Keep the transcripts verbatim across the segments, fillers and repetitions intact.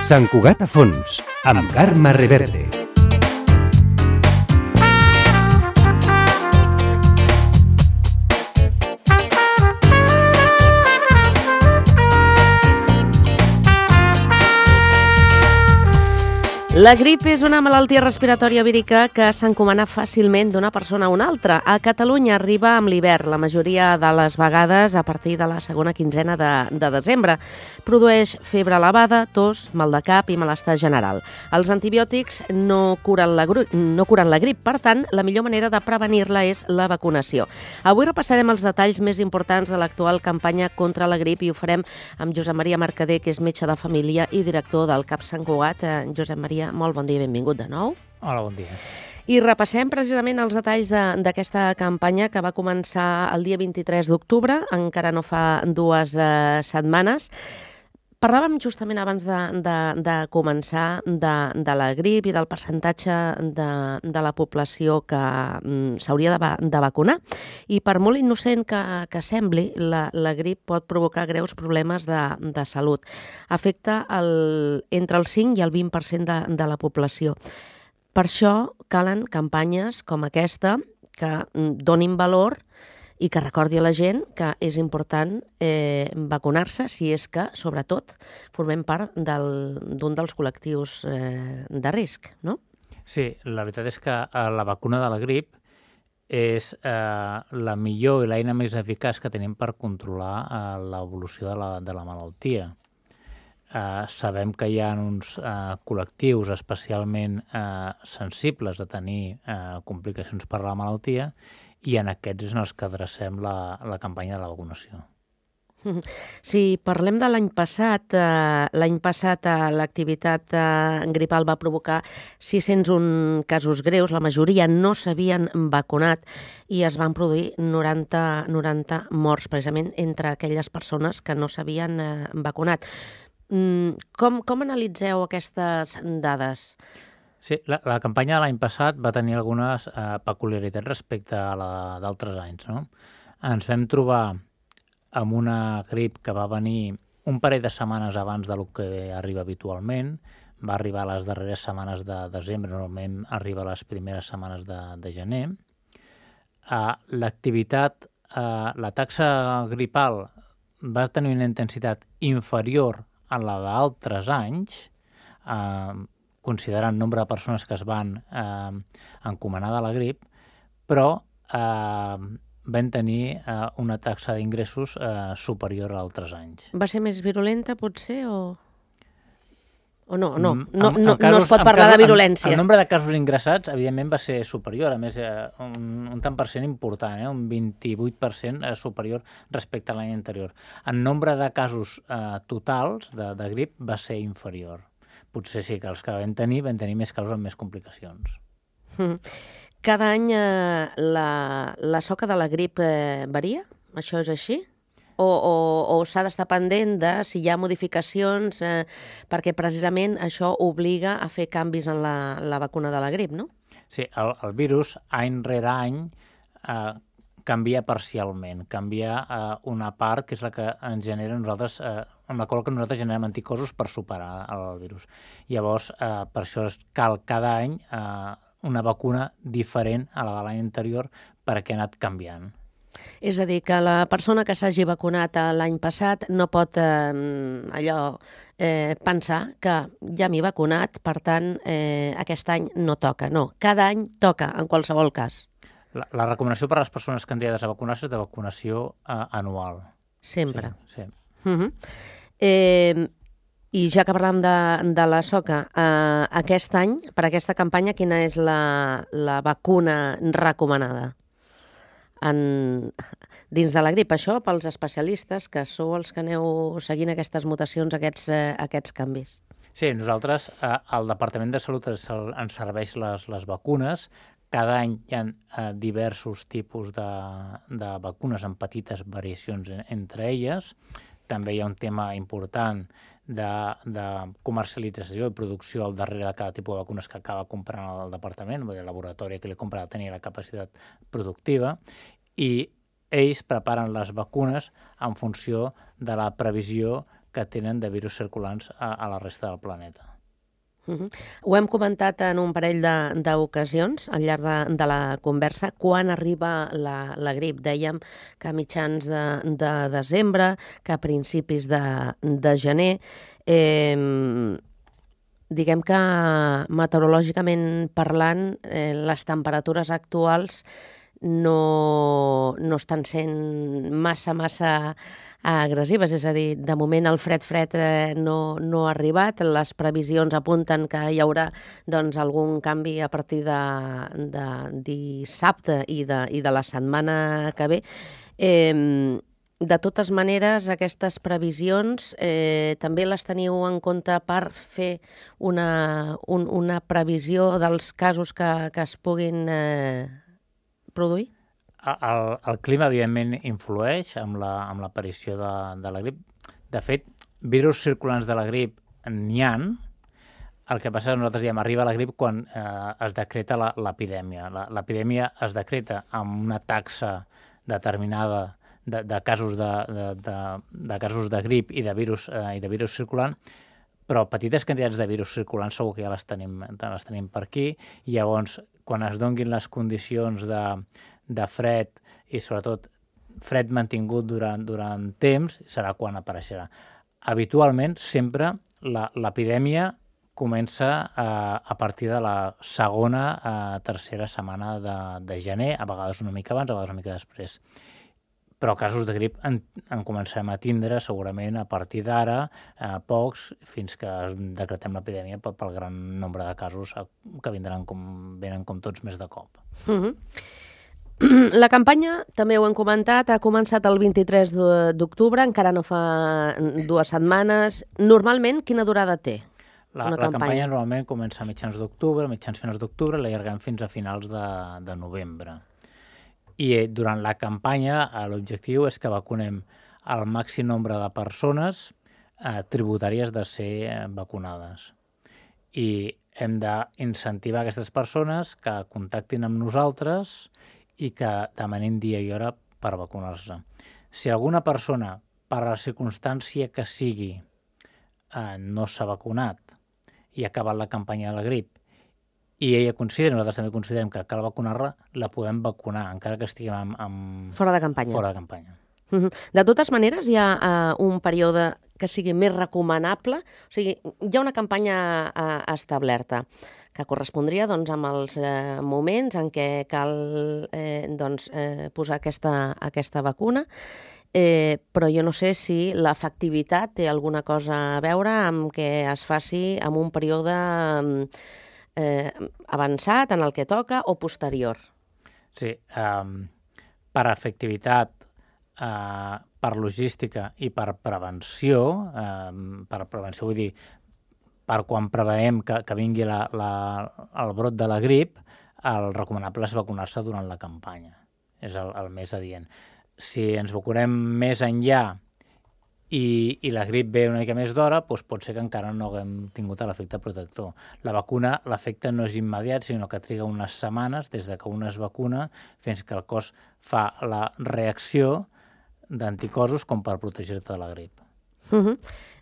Sant Cugat a fons, amb Carme Reverte. La grip és una malaltia respiratòria vírica que s'encomana fàcilment d'una persona a una altra. A Catalunya arriba amb l'hivern, la majoria de les vegades a partir de la segona quinzena de, de desembre. Produeix febre elevada, tos, mal de cap i malestar general. Els antibiòtics no curen la, no curen la grip, per tant, la millor manera de prevenir-la és la vacunació. Avui repassarem els detalls més importants de l'actual campanya contra la grip i ho farem amb Josep Maria Mercader, que és metge de família i director del CAP Sant Cugat. Eh, Josep Maria, molt bon dia i benvingut de nou. Hola, bon dia. I repassem precisament els detalls d'aquesta campanya que va començar el dia vint-i-tres d'octubre, encara no fa dues eh, setmanes. Parlàvem justament abans de, de, de començar de, de la grip i del percentatge de, de la població que mm, s'hauria de, de vacunar. I per molt innocent que, que sembli, la, la grip pot provocar greus problemes de, de salut. Afecta el, entre el cinc i el vint per cent de, de la població. Per això calen campanyes com aquesta que donin valor i que recordi a la gent que és important eh, vacunar-se si és que, sobretot, formem part del, d'un dels col·lectius eh, de risc, no? Sí, la veritat és que eh, la vacuna de la grip és eh, la millor i l'eina més eficaç que tenim per controlar eh, l'evolució de la, de la malaltia. Eh, sabem que hi ha uns eh, col·lectius especialment eh, sensibles a tenir eh, complicacions per la malaltia i en aquests és en els que adrecem la, la campanya de la vacunació. Si parlem de l'any passat, eh, l'any passat eh, l'activitat eh, gripal va provocar sis-cents un casos greus, la majoria no s'havien vacunat i es van produir noranta, noranta morts, precisament entre aquelles persones que no s'havien eh, vacunat. Mm, com, com analitzeu aquestes dades? Sí, la, la campanya de l'any passat va tenir algunes eh, peculiaritats respecte a la d'altres anys, no? Ens vam trobar amb una grip que va venir un parell de setmanes abans del que arriba habitualment, va arribar a les darreres setmanes de desembre, normalment arriba a les primeres setmanes de, de gener. Eh, l'activitat, eh, la taxa gripal va tenir una intensitat inferior a la d'altres anys, eh, considerant el nombre de persones que es van eh, encomanar de la grip, però eh, van tenir eh, una taxa d'ingressos eh, superior a altres anys. Va ser més virulenta, potser, o...? O no, no, Mm, no, en- en no, casos- no es pot en parlar casos- de en- virulència. El nombre de casos ingressats, evidentment, va ser superior, a més, eh, un, un tant per cent important, eh, un vint-i-vuit per cent superior respecte a l'any anterior. El nombre de casos eh, totals de, de grip va ser inferior. Potser sí que els que vam tenir, vam tenir més casos amb més complicacions. Mm. Cada any eh, la, la soca de la grip eh, varia? Això és així? O, o, o s'ha d'estar pendent de si hi ha modificacions, eh, perquè precisament això obliga a fer canvis en la, la vacuna de la grip, no? Sí, el, el virus, any rere any, eh, canvia parcialment. Canvia eh, una part que és la que ens genera nosaltres, eh, amb la qual que nosaltres generem anticorpos per superar el virus. Llavors, eh, per això cal cada any eh, una vacuna diferent a la de l'any anterior perquè ha anat canviant. És a dir, que la persona que s'hagi vacunat l'any passat no pot eh, allò eh, pensar que ja m'he vacunat, per tant, eh, aquest any no toca. No, cada any toca, en qualsevol cas. La, la recomanació per a les persones candidades a vacunar-se és de vacunació eh, anual. Sempre. Sí, sí. Uh-huh. eh, I ja que parlem de, de la soca, eh, aquest any, per aquesta campanya, quina és la, la vacuna recomanada en, dins de la grip? Això pels especialistes, que sou els que aneu seguint aquestes mutacions, aquests, eh, aquests canvis. Sí, nosaltres, eh, al Departament de Salut ens, ens serveix les, les vacunes. Cada any hi ha eh, diversos tipus de, de vacunes amb petites variacions en, entre elles. També hi ha un tema important de, de comercialització i producció al darrere de cada tipus de vacunes que acaba comprant el departament, el laboratori que li compra ha de tenir la capacitat productiva, i ells preparen les vacunes en funció de la previsió que tenen de virus circulants a, a la resta del planeta. Uh -huh. Ho hem comentat en un parell d'ocasions al llarg de, de la conversa. Quan arriba la, la grip? Dèiem que a mitjans de, de desembre, que a principis de, de gener. Eh, diguem que meteorològicament parlant, eh, les temperatures actuals no, no estan sent massa, massa agressives, és a dir, de moment el fred-fred eh, no, no ha arribat, les previsions apunten que hi haurà doncs, algun canvi a partir de, de dissabte i de, i de la setmana que ve. Eh, de totes maneres, aquestes previsions eh, també les teniu en compte per fer una, un, una previsió dels casos que, que es puguin eh, produir? El, el clima, evidentment, influeix amb la, amb l'aparició de, de la grip. De fet, virus circulants de la grip n'hi ha. El que passa és que nosaltres diem arriba la grip quan eh, es decreta l'epidèmia. L'epidèmia es decreta amb una taxa determinada de, de, casos de, de, de, de casos de grip i de virus, eh, i de virus circulant, però petites quantitats de virus circulants segur que ja les tenim, les tenim per aquí, i llavors, quan es donguin les condicions de de fred i sobretot fred mantingut durant, durant temps, serà quan apareixerà. Habitualment, sempre, l'epidèmia comença a, a partir de la segona a tercera setmana de, de gener, a vegades una mica abans, a vegades una mica després. Però casos de grip en, en començarem a tindre segurament a partir d'ara, eh, pocs, fins que decretem l'epidèmia pel, pel gran nombre de casos que vindran com, venen com tots més de cop. Uh-huh. La campanya, també ho hem comentat, ha començat el vint-i-tres d'octubre, encara no fa dues setmanes. Normalment, quina durada té la, una la campanya? campanya normalment comença a mitjans d'octubre, mitjans finals d'octubre, l'allarguem fins a finals de, de novembre. I eh, durant la campanya l'objectiu és que vacunem el màxim nombre de persones eh, tributàries de ser eh, vacunades. I hem d'incentivar aquestes persones que contactin amb nosaltres i que demanin dia i hora per vacunar-se. Si alguna persona, per la circumstància que sigui, eh, no s'ha vacunat i ha acabat la campanya de la grip, i ella considera, nosaltres també considerem que cal vacunar-la, la podem vacunar, encara que estiguem amb, amb... Fora de campanya. Fora de campanya. Uh-huh. De totes maneres, hi ha uh, un període que sigui més recomanable? O sigui, hi ha una campanya uh, establerta que correspondria doncs, amb els eh, moments en què cal eh, doncs, eh, posar aquesta, aquesta vacuna, eh, però jo no sé si l'efectivitat té alguna cosa a veure amb que es faci en un període eh, avançat, en el que toca, o posterior. Sí, um, per efectivitat, uh, per logística i per prevenció, um, per prevenció vull dir, per quan preveiem que, que vingui la, la, el brot de la grip, el recomanable és vacunar-se durant la campanya. És el, el més adient. Si ens vacunem més enllà i, i la grip ve una mica més d'hora, doncs pot ser que encara no haguem tingut l'efecte protector. La vacuna, l'efecte no és immediat, sinó que triga unes setmanes des de que un es vacuna fins que el cos fa la reacció d'anticossos com per protegir-te de la grip. Uh-huh.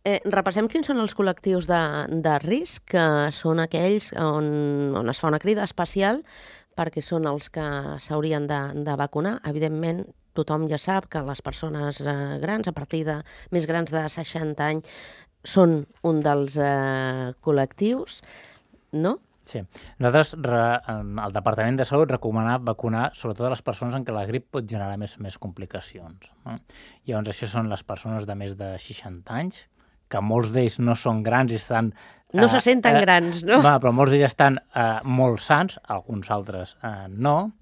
Eh, repassem quins són els col·lectius de, de risc, que són aquells on, on es fa una crida especial perquè són els que s'haurien de, de vacunar. Evidentment, tothom ja sap que les persones eh, grans, a partir de més grans de seixanta anys, són un dels eh, col·lectius, no? Sí. Nosaltres, re, el Departament de Salut recomana vacunar sobretot a les persones en què la grip pot generar més, més complicacions. No? Llavors, això són les persones de més de seixanta anys, que molts d'ells no són grans i estan... No eh, se senten eh, grans, no? Va, però molts d'ells estan eh, molt sans, alguns altres eh, no,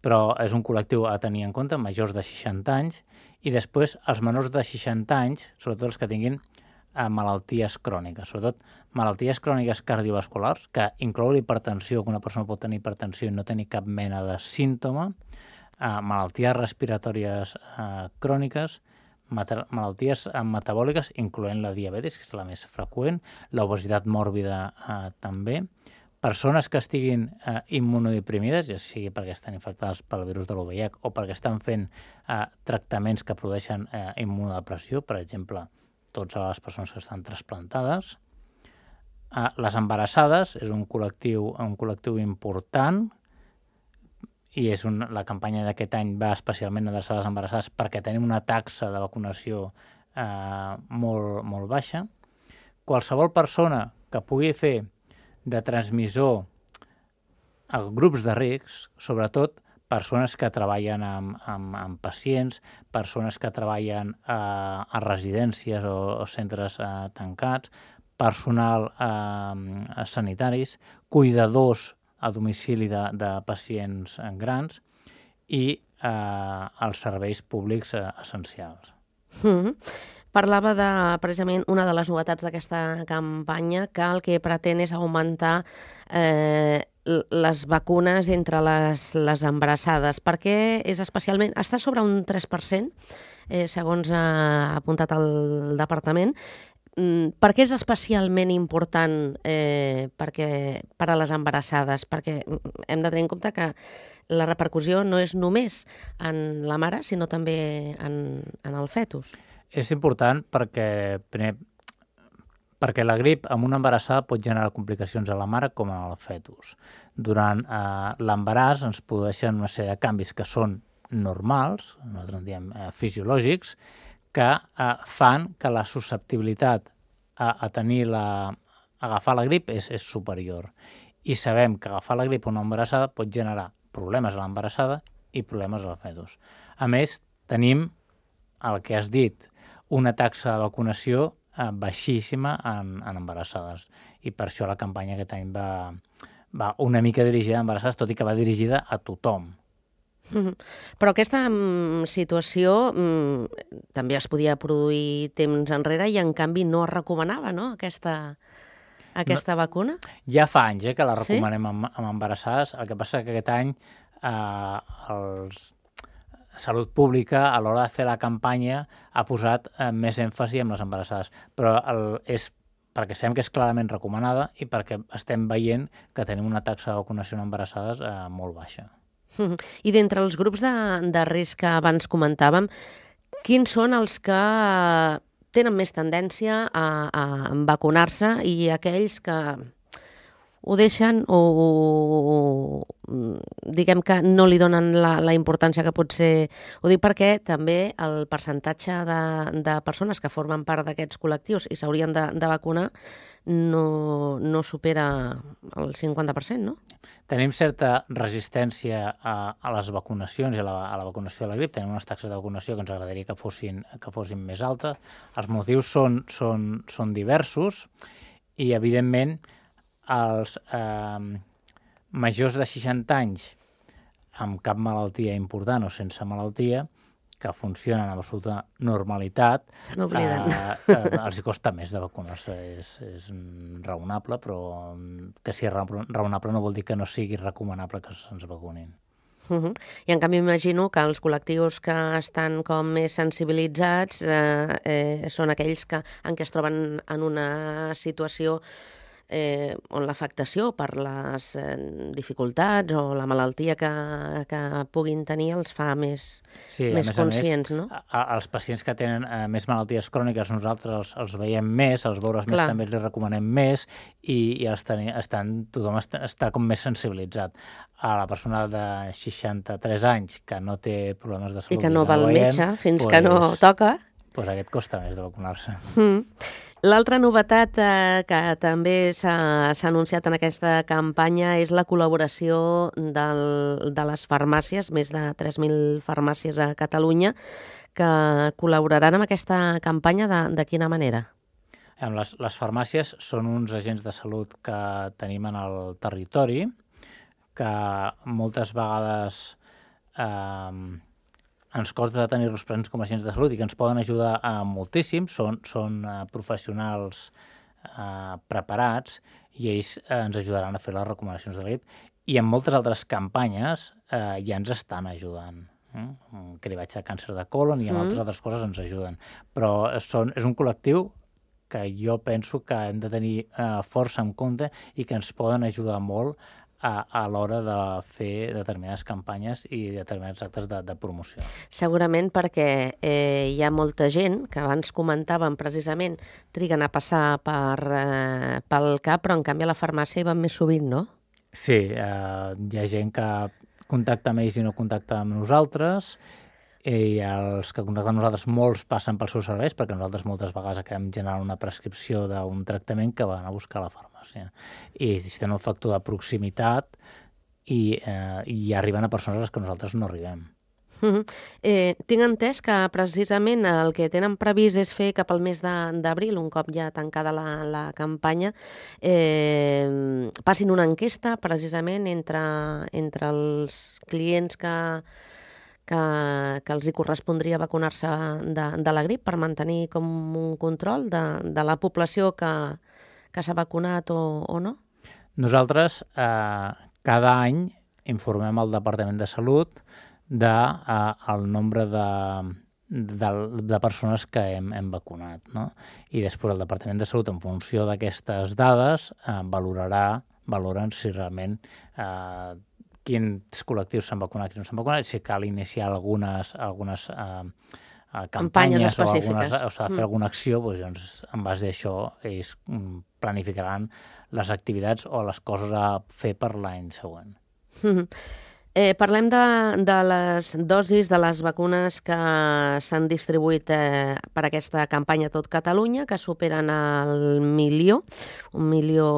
però és un col·lectiu a tenir en compte, majors de seixanta anys, i després els menors de seixanta anys, sobretot els que tinguin eh, malalties cròniques, sobretot malalties cròniques cardiovasculars, que inclou l'hipertensió, que una persona pot tenir hipertensió i no tenir cap mena de símptoma, eh, malalties respiratòries eh, cròniques, malalties metabòliques, incloent la diabetis, que és la més freqüent, l'obesitat mòrbida eh, també, persones que estiguin eh, immunodeprimides, ja sigui perquè estan infectades pel virus de l'U V I H o perquè estan fent eh, tractaments que produeixen eh, immunodepressió, per exemple, totes les persones que estan trasplantades. Uh, les embarassades és un col·lectiu, un col·lectiu important i és un, la campanya d'aquest any va especialment adreçar a les embarassades perquè tenim una taxa de vacunació uh, molt, molt baixa. Qualsevol persona que pugui fer de transmissor a grups de risc, sobretot persones que treballen amb, amb, amb pacients, persones que treballen a, a residències o, o centres eh, tancats, personal eh, sanitaris, cuidadors a domicili de, de pacients grans i eh, els serveis públics eh, essencials. Mm-hmm. Parlava de, precisament, una de les novetats d'aquesta campanya, que el que pretén és augmentar eh, les vacunes entre les, les embarassades, perquè és especialment, està sobre un tres per cent, eh, segons ha apuntat el departament. Mm, per què és especialment important eh, perquè, per a les embarassades? Perquè hem de tenir en compte que la repercussió no és només en la mare, sinó també en, en el fetus. És important perquè, primer, perquè la grip amb una embarassada pot generar complicacions a la mare com al fetus. Durant eh, l'embaràs ens produeixen una sèrie de canvis que són normals, nosaltres en diem eh, fisiològics, que eh, fan que la susceptibilitat a, a tenir la, a agafar la grip és, és superior. I sabem que agafar la grip a una embarassada pot generar problemes a l'embarassada i problemes al fetus. A més, tenim el que has dit, una taxa de vacunació eh, baixíssima en, en embarassades. I per això la campanya aquest any va, va una mica dirigida a embarassades, tot i que va dirigida a tothom. Mm-hmm. Però aquesta mm, situació mm, també es podia produir temps enrere i en canvi no es recomanava, no?, aquesta, aquesta no, vacuna? Ja fa anys eh, que la recomanem sí? amb, amb embarassades. El que passa és que aquest any eh, els Salut Pública, a l'hora de fer la campanya, ha posat eh, més èmfasi en les embarassades. Però el, és perquè sabem que és clarament recomanada i perquè estem veient que tenim una taxa de vacunació en embarassades eh, molt baixa. Mm-hmm. I d'entre els grups de, de risc que abans comentàvem, quins són els que tenen més tendència a, a vacunar-se i aquells que ho deixen o, o diguem que no li donen la, la importància que pot ser? Ho dic perquè també el percentatge de, de persones que formen part d'aquests col·lectius i s'haurien de, de vacunar no, no supera el cinquanta per cent, no? Tenim certa resistència a, a les vacunacions i a la, a la vacunació de la grip. Tenim unes taxes de vacunació que ens agradaria que fossin, que fossin més altes. Els motius són, són, són diversos i, evidentment, els eh, majors de seixanta anys amb cap malaltia important o sense malaltia, que funcionen amb absoluta normalitat, se n'obliden. Eh, eh, els costa més de vacunar-se. És, és raonable, però que sigui raonable no vol dir que no sigui recomanable que se'ns vacunin. Uh-huh. I en canvi m'imagino que els col·lectius que estan com més sensibilitzats eh, eh, són aquells que, en què es troben en una situació Eh, on l'afectació per les eh, dificultats o la malaltia que, que puguin tenir els fa més, sí, més més conscients, més, no? A, a, els pacients que tenen eh, més malalties cròniques nosaltres els, els veiem més, els veures més també els recomanem més i, i els teni, estan, tothom està, està com més sensibilitzat. A la persona de seixanta-tres anys que no té problemes de salut i que no va al metge fins pues, que no toca, pues aquest costa més de vacunar-se. Mm. L'altra novetat eh, que també s'ha anunciat en aquesta campanya és la col·laboració del, de les farmàcies, més de tres mil farmàcies a Catalunya, que col·laboraran amb aquesta campanya. De, de quina manera? Les, les farmàcies són uns agents de salut que tenim en el territori, que moltes vegades eh, ens costa tenir-los presents com a agents de salut i que ens poden ajudar eh, moltíssim. Són, són eh, professionals eh, preparats i ells eh, ens ajudaran a fer les recomanacions de la grip. I en moltes altres campanyes eh, ja ens estan ajudant. Eh? Un cribatge de càncer de colon i en mm. altres altres coses ens ajuden. Però són, és un col·lectiu que jo penso que hem de tenir eh, força en compte i que ens poden ajudar molt a, a l'hora de fer determinades campanyes i determinats actes de, de promoció. Segurament perquè eh, hi ha molta gent que abans comentàvem precisament triguen a passar per, eh, pel C A P, però en canvi a la farmàcia hi van més sovint, no? Sí, eh, hi ha gent que contacta amb ells i no contacta amb nosaltres, i els que contacten amb nosaltres molts passen pels seus serveis, perquè nosaltres moltes vegades acabem generant una prescripció d'un tractament que van a buscar a la farmàcia. I si tenen un factor de proximitat i, eh, i arriben a persones a les que nosaltres no arribem. Uh-huh. Eh, tinc entès que precisament el que tenen previst és fer cap al mes d'abril, un cop ja tancada la, la campanya, eh, passin una enquesta precisament entre, entre els clients que, que, que els hi correspondria vacunar-se de, de la grip per mantenir com un control de, de la població que, que s'ha vacunat o, o no? Nosaltres eh, cada any informem al Departament de Salut de eh, el nombre de, de, de persones que hem, hem vacunat, no? I després el Departament de Salut, en funció d'aquestes dades, eh, valorarà, valoren si realment eh, quins col·lectius s'han vacunat, quins no s'han vacunat, si cal iniciar algunes, algunes eh, campanyes o, algunes, o s'ha de fer mm. alguna acció, doncs, en base a això ells planificaran les activitats o les coses a fer per l'any següent. Mm. Eh, parlem de, de les dosis de les vacunes que s'han distribuït eh, per aquesta campanya a tot Catalunya, que superen el milió, un milió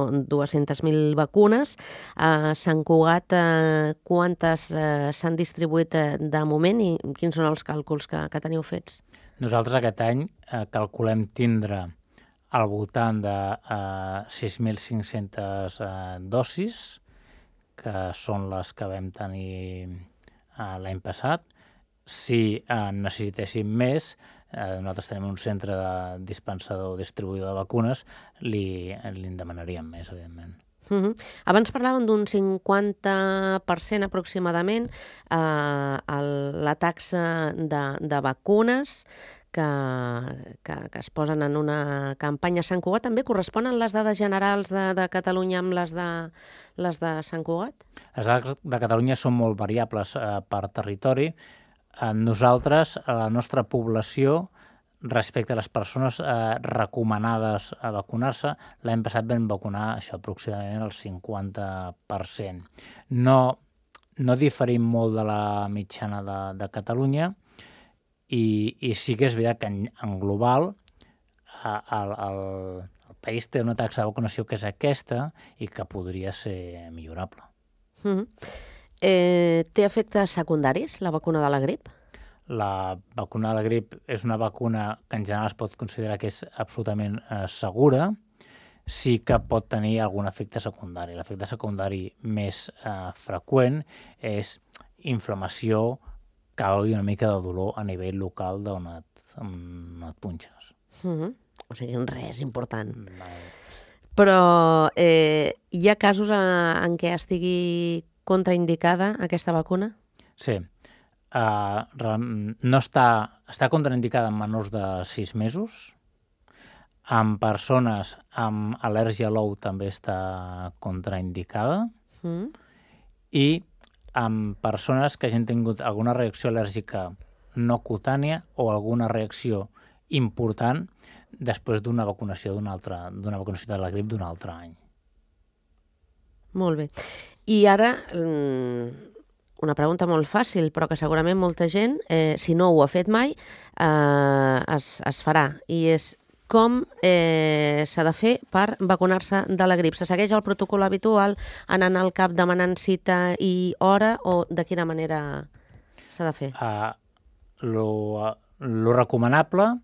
dues-centes mil vacunes. A Sant Cugat, eh, quantes eh, s'han distribuït eh, de moment i quins són els càlculs que, que teniu fets? Nosaltres aquest any eh, calculem tindre al voltant de eh, sis mil cinc-centes eh, dosis, que són les que vam tenir uh, l'any passat. Si uh, necessitéssim més, uh, nosaltres tenim un centre de dispensador o distribuïdor de vacunes, li, li en demanaríem més, evidentment. Uh-huh. Abans parlàvem d'un cinquanta per cent aproximadament uh, el, la taxa de, de vacunes que, que, que es posen en una campanya a Sant Cugat. També corresponen les dades generals de, de Catalunya amb les de, les de Sant Cugat? Les dades de Catalunya són molt variables eh, per territori. Eh, nosaltres, a la nostra població, respecte a les persones eh, recomanades a vacunar-se, l'any passat vam vacunar això aproximadament el cinquanta per cent. No, no diferim molt de la mitjana de, de Catalunya, I, i sí que és veritat que en, en global el, el, el país té una taxa de vacunació que és aquesta i que podria ser millorable. Mm-hmm. eh, té efectes secundaris la vacuna de la grip? La vacuna de la grip és una vacuna que en general es pot considerar que és absolutament eh, segura, sí que pot tenir algun efecte secundari. L'efecte secundari més eh, freqüent és inflamació, cau i una mica de dolor a nivell local d'on et, et punxes. Mm-hmm. O sigui, res important. No. Però eh, hi ha casos en què estigui contraindicada aquesta vacuna? Sí. Uh, no està, està contraindicada en menors de sis mesos. En persones amb al·lèrgia a l'ou també està contraindicada. Mm. I amb persones que hagin tingut alguna reacció al·lèrgica no cutània o alguna reacció important després d'una vacunació d'una altra, d'una vacunació de la grip d'un altre any. Molt bé. I ara, una pregunta molt fàcil, però que segurament molta gent, eh, si no ho ha fet mai, eh, es, es farà. I és com eh, s'ha de fer per vacunar-se de la grip? Se segueix el protocol habitual, anant al CAP demanant cita i hora, o de quina manera s'ha de fer? Uh, lo, lo recomanable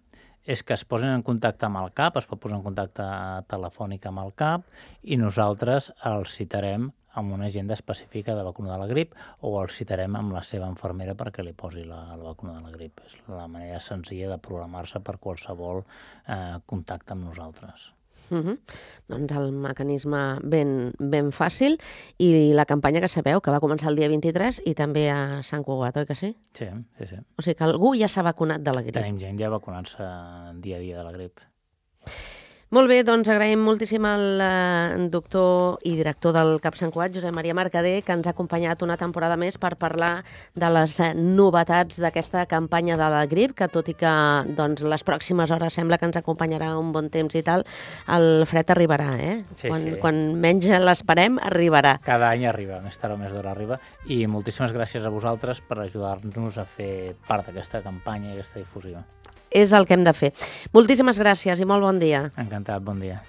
és que es posin en contacte amb el CAP, es pot posar en contacte telefònic amb el CAP i nosaltres els citarem amb una agenda específica de vacuna de la grip o el citarem amb la seva infermera perquè li posi la, la vacuna de la grip. És la manera senzilla de programar-se per qualsevol eh, contacte amb nosaltres. Uh-huh. Doncs el mecanisme ben, ben fàcil i la campanya que sabeu que va començar el dia vint-i-tres i també a Sant Cugat, oi que sí? Sí, sí, sí. O sigui que algú ja s'ha vacunat de la grip. Tenim gent ja vacunant-se dia a dia de la grip. Molt bé, doncs agraïm moltíssim al eh, doctor i director del CAP Sant Cugat, Josep Maria Mercader, que ens ha acompanyat una temporada més per parlar de les eh, novetats d'aquesta campanya de la grip, que tot i que doncs, les pròximes hores sembla que ens acompanyarà un bon temps i tal, el fred arribarà, eh? Sí, quan, sí. quan menys l'esperem, arribarà. Cada any arriba, més tard o més d'hora arriba, i moltíssimes gràcies a vosaltres per ajudar-nos a fer part d'aquesta campanya i aquesta difusió. És el que hem de fer. Moltíssimes gràcies i molt bon dia. Encantat, bon dia.